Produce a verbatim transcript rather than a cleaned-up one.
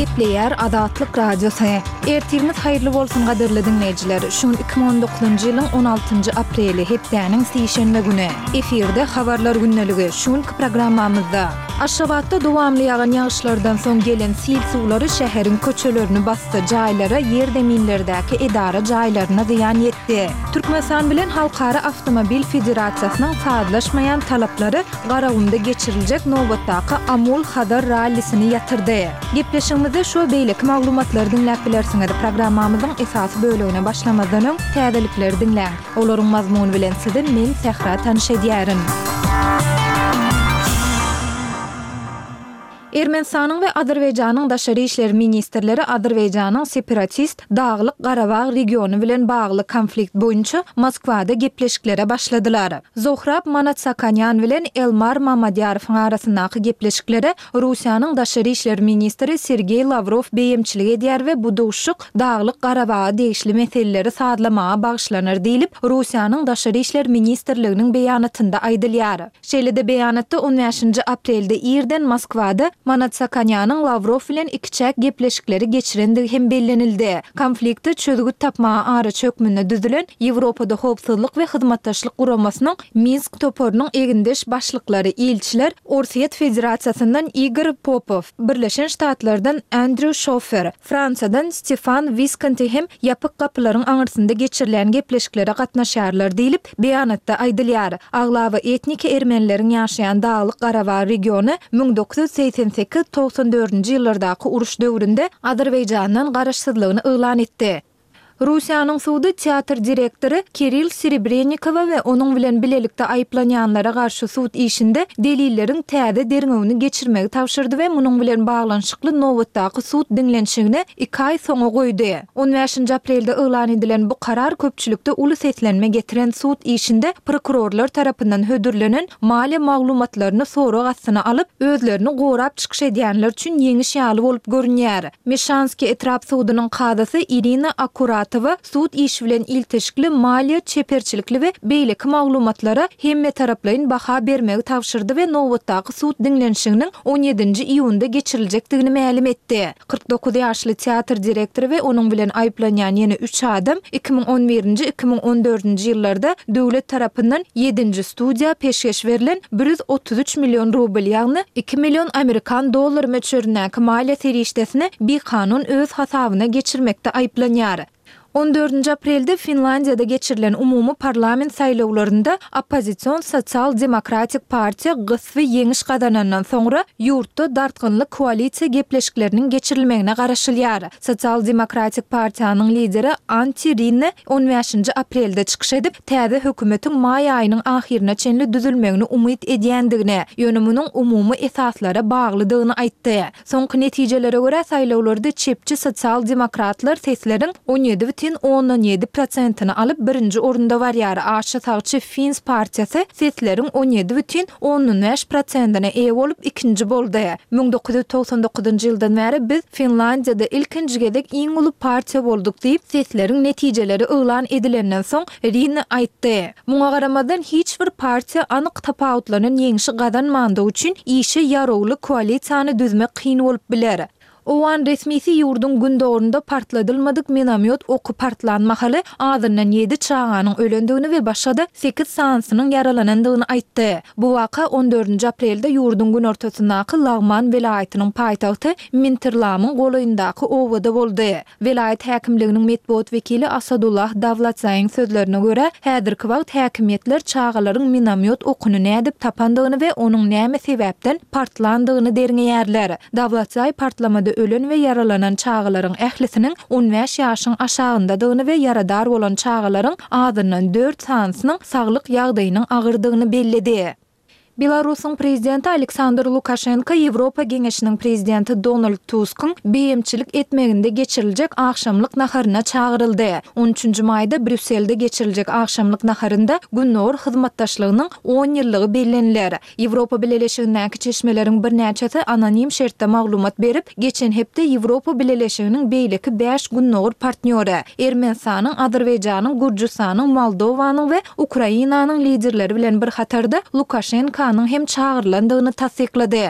Gepleýär Azatlyk Radiosy. Ertiriňiz haýyrly bolsun gadyrly diňleýjiler. Şu gün iki müň on dokuzynjy ýylyň on altynjy apreli, hepdäniň sişenbe güni. Efirde Habarlar gündeligi. Şu günki programmamyzda. Aşgabatda dowamly ýagan ýagyşlardan soň gelen sil suwlary şäheriň köçelerini basdy, jaýlara, ýerzeminlerdäki edara jaýlaryna zyýan ýetdi. Türkmenistan bilen Halkara awtomobil federasiýasynyň sazlaşmaýan talaplary Garagumda geçiriljek nobatdaky Amul-Hazar rallisini ýatyrdy. Gepleşigimizde şu we beýleki maglumatlary diňläp bilersiňiz. Programmamyzyň esasy bölegine başlamazdan öň, täzelikleri diňläň. Olaryň mazmuny bilen sizi men, Sähra tanyş edýärin. Ermenistanyň we Azerbaýjanyň daşary işler ministrleri Azerbaýjanyň separatist Daglyk-Garabag regiony bilen bagly konflikt boýunça Moskwada gepleşiklere başladylar. Zohrab Manatsakanýan bilen Elmar Mamadýarowyň arasyndaky gepleşiklere Russiýanyň daşary işler ministri Sergeý Lawrow beýemçilik edýär we bu duşuşyk Daglyk-Garabaga degişli meseleleri sazlamaga bagyşlanar diýlip, Russiýanyň Daşary işler ministrliginiň beýanatynda aýdylýar. Şeýle-de beýanatda on bäşinji aprelde irden Moskwada Manatsakanýanyň Lawrow bilen ikiçäk gepleşikleri geçirendigi hem bellenildi. Konflikte çözgüt tapmaga araçy hökmünde düzülen Ýewropada Howpsuzlyk we Hyzmatdaşlyk Guramasynyň Minsk toparynyň egindeş başlyklary, ilçiler Orsýet Federasiýasyndan Igor Popow, Birleşen Ştatlardan Andrew Şofer, Fransiýadan Stefan Wiskonti hem ýapyk gapylaryň aňyrsynda geçirilýän gepleşiklere gatnaşýarlar diýlip, beýanatda aýdylýar. Aglaba etniki ermenileriň ýaşaýan Daglyk-Garabag regiony müň dokuz ýüz segsen sekiz, togsan dördünji ýyllardaky uruş döwründe Azerbaýjandan garaşsyzlygyny yglan etdi. Russiýanyň sudy teatr direktory Kirill Serebrennikowa we onuň bilen bilelikde aýyplanýanlara garşy sud işinde delilleriň täze derňewini geçirmegi tabşyrdy we munuň bilen baglanyşykly nobatdaky sud diňlenişigini iki aý soňa goýdy. On bäşinji aprelde yglan edilen bu karar köpçülikde uly seslenme getiren sud işinde prokurorlar tarapyndan hödürlenen maliýe maglumatlaryny sorag astyna alyp, özlerini gorap çykyş edýänler üçin ýeňiş ýaly bolup görünýär. Meşanskiý etrap sudunyň kazysy Irina Akuratowa sud işi bilen ilteşikli maliýe, çeperçilikli we beýleki maglumatlara hemmetaraplaýyn baha bermegi tabşyrdy we nobatdaky sud diňlenişiginiň on ýedinji iýunda geçiriljekdigini mälim etdi. Kyrk dokuz ýaşly teatr direktory we onuň bilen aýyplanýan ýene üç adam iki müň on birinji, iki müň on dördünji ýyllarda döwlet tarapyndan ýedinji studiýa peşgeş berlen bir ýüz otuz üç million rubl, ýagny iki million amerikan dollary möçberindäki maliýe serişdesini bikanun öz hasabyna geçirmekde aýyplanýar. On dördünji aprelde Finlandiýada geçirilen umumy parlament saýlawlarynda oppozision Sosial-demokratik partiýa gysby ýeňiş gazanandan soňra, ýurtda dartgynly koalisiýa gepleşikleriniň geçirilmegine garaşylýar. Sosial-demokratik partiýanyň lideri Antti Rinne on bäşinji aprelde çykyş edip, täze hökümetiň maý aýynyň ahyryna çenli düzülmegini umyt edýändigini, ýöne munuň umumy esaslara baglydygyny aýtdy. Soňky netijelere görä, saýlawlarda çepçi sosial-demokratlar sesleriň on ýedi bütin ondan ýedi prosentini alyp, birinji orunda barýar, aşa sagçy Finns partiýasy sesleriň on ýedi bütin ondan bäş prosentine eýe bolup, ikinji boldy. Müň dokuz ýüz togsan dokuzynjy ýyldan bäri biz Finlandiýada ilkinji gezek iň uly partiýa bolduk diýip, sesleriň netijeleri yglan edilenden soň Rinne aýtdy. Muňa garamazdan, hiç bir partiýa anyk tapawutlanan ýeňşi gazanmandygy üçin işe ýarawly koalisiýany düzmek kyn bolup biler. Owgan resmisi ýurduň gündogarynda partladylmadyk minomýot oky partlan mahaly azyndan ýedi çaganyň ölendigini we başga-da sekiz sanysynyň ýaralanandygyny aýtdy. Bu waka on dördünji aprelde ýurduň günortasyndaky Lagman welaýatynyň paýtagty Mintirlamyň golaýyndaky obada boldy. Welaýat häkimliginiň metbugat wekili Asadullah Dawlatzaýyň sözlerine görä, häzirki wagt häkimiýetler çagalaryň minomýot okuny nädip tapandygyny we onuň näme sebäpden partlandygyny derňeýärler. Dawlatzaý partlamada ölen we ýaralanan çagalaryň ählisiniň on bäş ýaşyň aşagyndadygyny we ýaradar bolan çagalaryň azyndan dört sanysynyň saglyk ýagdaýynyň agyrdygyny belledi. Belarusyň prezidenti Aleksandr Lukaşenko Ýewropa Geňeşiniň prezidenti Donald Tuskyň beýemçilik etmeginde geçiriljek agşamlyk naharyna çagyryldy. On üçünji maýda Brýusselde geçiriljek agşamlyk naharynda Gündogar hyzmatdaşlygynyň on ýyllygy belleniler. Ýewropa Bileleşigindäki çeşmeleriň birnäçesi anonim şertde maglumat berip, geçen hepde Ýewropa Bileleşiginiň beýleki bäş gündogar partnýory, Ermenistanyň, Azerbaýjanyň, Gürjüstanyň, Moldowanyň we Ukrainanyň liderleri bilen bir hatarda Lukaşenkanyň hem çagyrylandygyny tassyklady.